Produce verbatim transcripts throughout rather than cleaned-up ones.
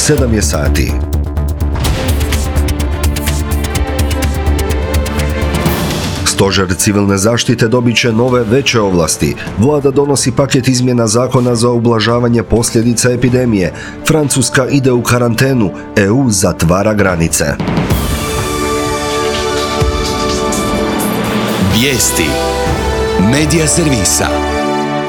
sedam je sati. Stožer civilne zaštite dobit će nove veće ovlasti. Vlada donosi paket izmjena zakona za ublažavanje posljedica epidemije. Francuska ide u karantenu. E U zatvara granice. Vijesti Medija servisa.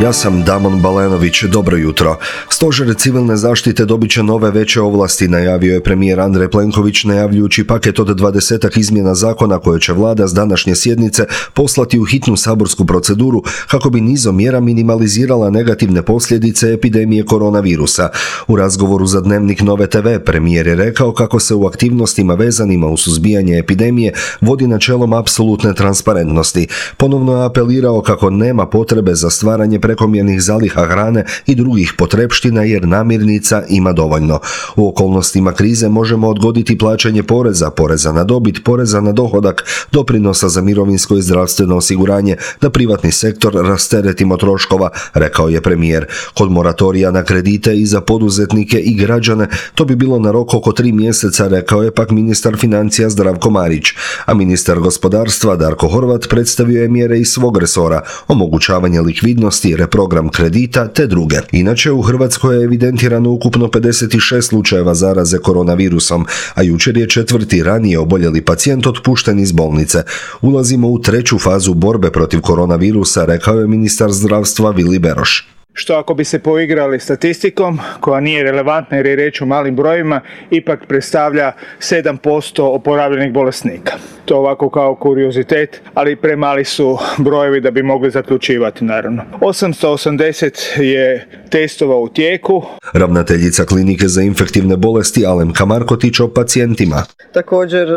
Ja sam Damon Balenović, dobro jutro. Stožer civilne zaštite dobit će nove veće ovlasti, najavio je premijer Andrej Plenković najavljujući paket od dvadesetak izmjena zakona koje će vlada s današnje sjednice poslati u hitnu saborsku proceduru kako bi nizom mjera minimalizirala negativne posljedice epidemije koronavirusa. U razgovoru za Dnevnik Nove te ve premijer je rekao kako se u aktivnostima vezanima u suzbijanje epidemije vodi načelom apsolutne transparentnosti. Ponovno je apelirao kako nema potrebe za stvaranje prekomjernih zaliha hrane i drugih potrepština jer namirnica ima dovoljno. U okolnostima krize možemo odgoditi plaćanje poreza, poreza na dobit, poreza na dohodak, doprinosa za mirovinsko i zdravstveno osiguranje, da privatni sektor rasteretimo troškova, rekao je premijer. Kod moratorija na kredite i za poduzetnike i građane to bi bilo na rok oko tri mjeseca, rekao je pak ministar financija Zdravko Marić, a ministar gospodarstva Darko Horvat predstavio je mjere iz svog resora, omogućavanje likvidnosti, reprogram kredita te druge. Inače, u Hrvatskoj je evidentirano ukupno pedeset šest slučajeva zaraze koronavirusom, a jučer je četvrti ranije oboljeli pacijent otpušten iz bolnice. Ulazimo u treću fazu borbe protiv koronavirusa, rekao je ministar zdravstva Vili Beroš. Što ako bi se poigrali statistikom, koja nije relevantna jer je riječ o malim brojima, ipak predstavlja sedam posto oporavljenih bolesnika. To ovako kao kuriozitet, ali premali su brojevi da bi mogli zaključivati, naravno. osamsto osamdeset je testova u tijeku. Ravnateljica klinike za infektivne bolesti Alemka Markotić o pacijentima. Također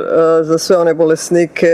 za sve one bolesnike,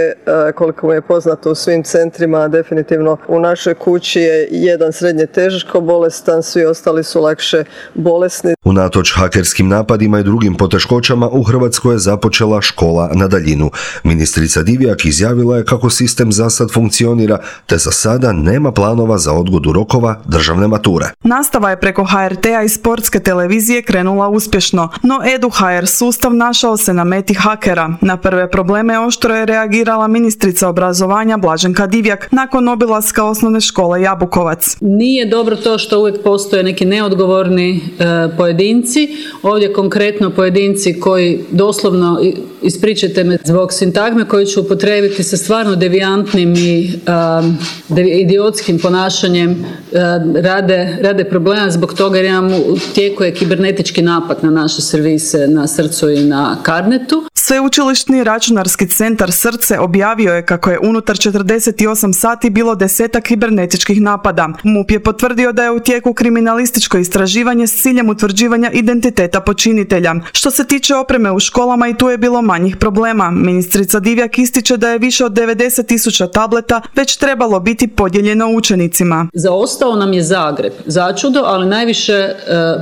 koliko mi je poznato u svim centrima, definitivno u našoj kući je jedan srednje teško bolestan, svi ostali su lakše bolesni. Unatoč hakerskim napadima i drugim poteškoćama, u Hrvatskoj je započela škola na daljinu. Ministrica Divjak izjavila je kako sistem za sad funkcionira, te za sada nema planova za odgodu rokova državne mature. Nastava je preko ha er te a i sportske televizije krenula uspješno, no Edu ha er sustav našao se na meti hakera. Na prve probleme oštro je reagirala ministrica obrazovanja Blaženka Divjak nakon obilaska osnovne škole Jabukovac. Nije dobro to što uvijek postoje neki neodgovorni e, pojedinci. Ovdje konkretno pojedinci koji doslovno, ispričajte me zbog sintagme koju ću upotrijebiti, sa stvarno devijantnim i uh, idiotskim ponašanjem uh, rade, rade problema zbog toga jer imamo u tijeku je kibernetički napad na naše servise na Srcu i na Carnetu. Sveučilišni računarski centar Srce objavio je kako je unutar četrdeset osam sati bilo desetak kibernetičkih napada. M U P je potvrdio da je u tijeku kriminalističko istraživanje s ciljem utvrđivanja identiteta počinitelja. Što se tiče opreme u školama, i tu je bilo manjih problema. Ministrica Divjak ističe da je više od devedeset tisuća tableta već trebalo biti podijeljeno učenicima. Zaostao nam je Zagreb, začudo, ali najviše e,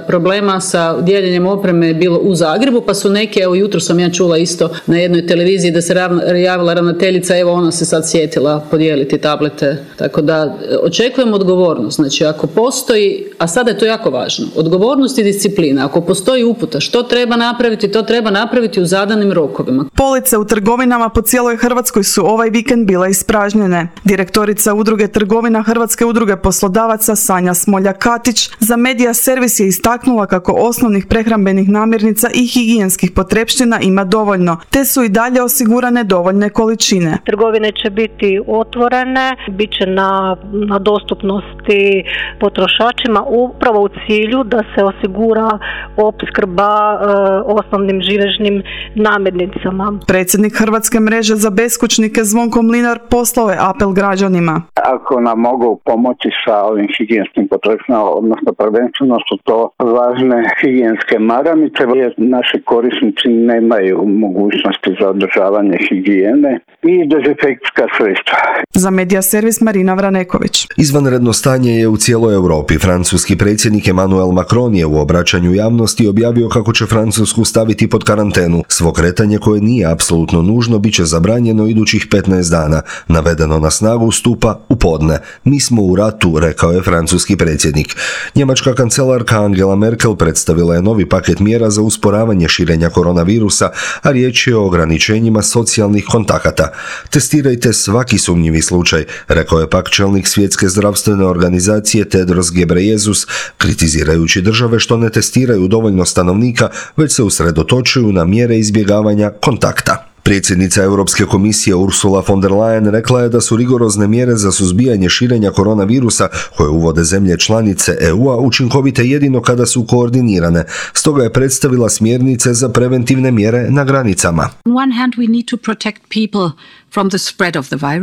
problema sa dijeljenjem opreme je bilo u Zagrebu, pa su neke, evo jutro sam ja čula isto na jednoj televiziji da se javila ravnateljica, evo ona se sad sjetila podijeliti tablete. Tako da očekujem odgovornost. Znači ako postoji, a sada je to jako važno, odgovornost i disciplina. Ako postoji uputa što treba napraviti, to treba napraviti u zadanim rokovima. Police u trgovinama po cijeloj Hrvatskoj su ovaj vikend bile ispražnjene. Direktorica udruge trgovina Hrvatske udruge poslodavaca Sanja Smolja-Katić za Medija servis je istaknula kako osnovnih prehrambenih namirnica i higijenskih potrepština ima dovoljno, te su i dalje osigurane dovoljne količine. Trgovine će biti otvorene, bit će na, na dostupnosti potrošačima upravo u cilju da se osigura opskrba e, osnovnim živežnim namirnicama. Predsjednik Hrvatske mreže za beskućnike Zvonko Mlinar poslao je apel građanima. Ako nam mogu pomoći sa ovim higijenskim potrepštinama, odnosno prvenstveno su to važne higijenske maramice, jer naši korisnici nemaju mogućnosti za održavanje higijene i dezinfekcijska sredstva. Za Medija servis Marina Vraneković. Izvanredno stanje je u cijeloj Europi. Francuski predsjednik Emmanuel Macron je u obraćanju javnosti objavio kako će Francusku staviti pod karantenu. Svo kretanje koje nije nije apsolutno nužno, bit će zabranjeno idućih petnaest dana. Navedeno na snagu stupa u podne. Mi smo u ratu, rekao je francuski predsjednik. Njemačka kancelarka Angela Merkel predstavila je novi paket mjera za usporavanje širenja koronavirusa, a riječ je o ograničenjima socijalnih kontakata. Testirajte svaki sumnjivi slučaj, rekao je pak čelnik Svjetske zdravstvene organizacije Tedros Ghebreyesus, kritizirajući države što ne testiraju dovoljno stanovnika, već se usredotočuju na mjere izbjegavanja kontakta. Predsjednica Europske komisije Ursula von der Leyen rekla je da su rigorozne mjere za suzbijanje širenja koronavirusa koje uvode zemlje članice E U-a učinkovite jedino kada su koordinirane. Stoga je predstavila smjernice za preventivne mjere na granicama.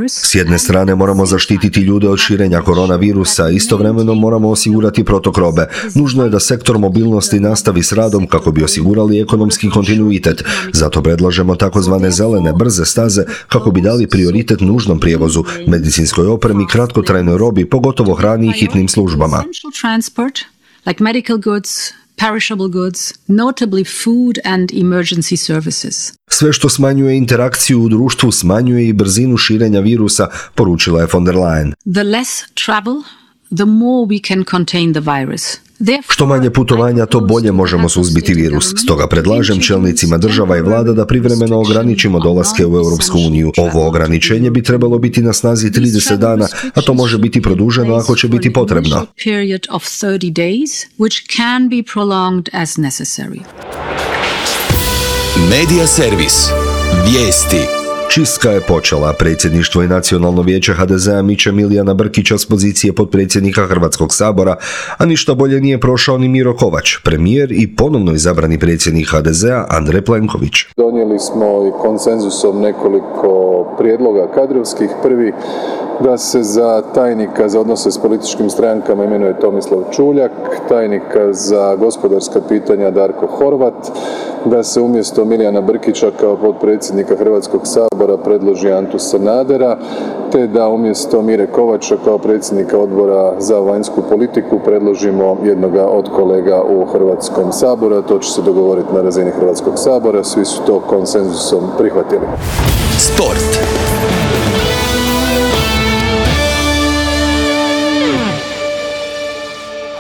S jedne strane moramo zaštititi ljude od širenja koronavirusa, istovremeno moramo osigurati protok robe. Nužno je da sektor mobilnosti nastavi s radom kako bi osigurali ekonomski kontinuitet. Zato predlažemo takozvane zelene brze staze kako bi dali prioritet nužnom prijevozu, medicinskoj opremi, kratkotrajnoj robi, pogotovo hrani i hitnim službama. Like medical goods, perishable goods, notably food and emergency services. Sve što smanjuje interakciju u društvu smanjuje i brzinu širenja virusa, poručila je von der Leyen. The less travel, the more we can contain the virus. Što manje putovanja, to bolje možemo suzbiti virus. Stoga predlažem čelnicima država i vlada da privremeno ograničimo dolaske u Europsku uniju. Ovo ograničenje bi trebalo biti na snazi trideset dana, a to može biti produženo ako će biti potrebno. Medija servis. Vijesti. Čistka je počela. Predsjedništvo i Nacionalno vijeće ha de zea miče Milijana Brkića s pozicije potpredsjednika Hrvatskog sabora, a ništa bolje nije prošao ni Miro Kovač, premijer i ponovno izabrani predsjednik ha de zea Andrej Plenković. Donijeli smo i konsenzusom nekoliko prijedloga kadrovskih. Prvi, da se za tajnika za odnose s političkim strankama imenuje Tomislav Čuljak, tajnika za gospodarska pitanja Darko Horvat, da se umjesto Milijana Brkića kao potpredsjednika Hrvatskog sabora predloži Antu Sanadera, te da umjesto Mire Kovača kao predsjednika odbora za vanjsku politiku predložimo jednoga od kolega u Hrvatskom saboru. To će se dogovoriti na razini Hrvatskog sabora, svi su to konsenzusom prihvatili. Sport.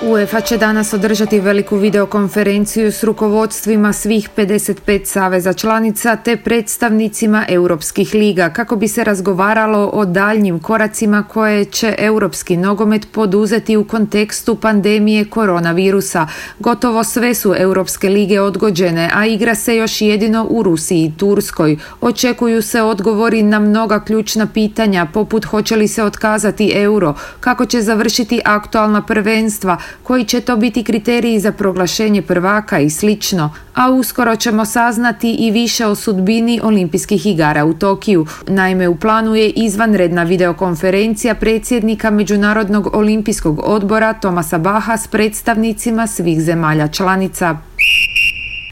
UEFA će danas održati veliku videokonferenciju s rukovodstvima svih pedeset pet saveza članica te predstavnicima europskih liga kako bi se razgovaralo o daljnjim koracima koje će europski nogomet poduzeti u kontekstu pandemije koronavirusa. Gotovo sve su europske lige odgođene, a igra se još jedino u Rusiji i Turskoj. Očekuju se odgovori na mnoga ključna pitanja poput hoće li se otkazati euro, kako će završiti aktualna prvenstva, koji će to biti kriteriji za proglašenje prvaka i slično, a uskoro ćemo saznati i više o sudbini olimpijskih igara u Tokiju. Naime, u planu je izvanredna videokonferencija predsjednika Međunarodnog olimpijskog odbora Thomasa Bacha s predstavnicima svih zemalja članica.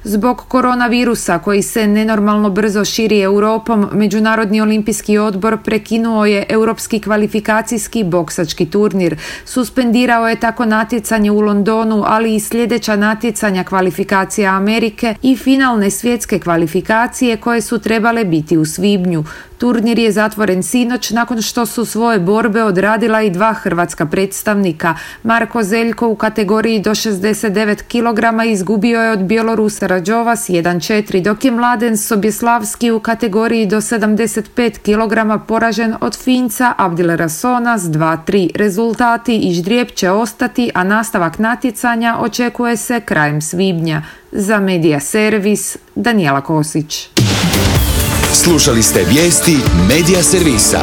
Zbog koronavirusa koji se nenormalno brzo širi Europom, Međunarodni olimpijski odbor prekinuo je europski kvalifikacijski boksački turnir. Suspendirao je tako natjecanje u Londonu, ali i sljedeća natjecanja kvalifikacija Amerike i finalne svjetske kvalifikacije koje su trebale biti u svibnju. Turnir je zatvoren sinoć nakon što su svoje borbe odradila i dva hrvatska predstavnika. Marko Zeljko u kategoriji do šezdeset devet kilograma izgubio je od Bjelorusa Rađova s jedan četiri, dok je Mladen Sobjeslavski u kategoriji do sedamdeset pet kilograma poražen od Finca Abdilera Sona s dva tri. Rezultati i ždrijeb će ostati, a nastavak natjecanja očekuje se krajem svibnja. Za Medija servis, Danijela Kosić. Slušali ste vijesti Medija servisa.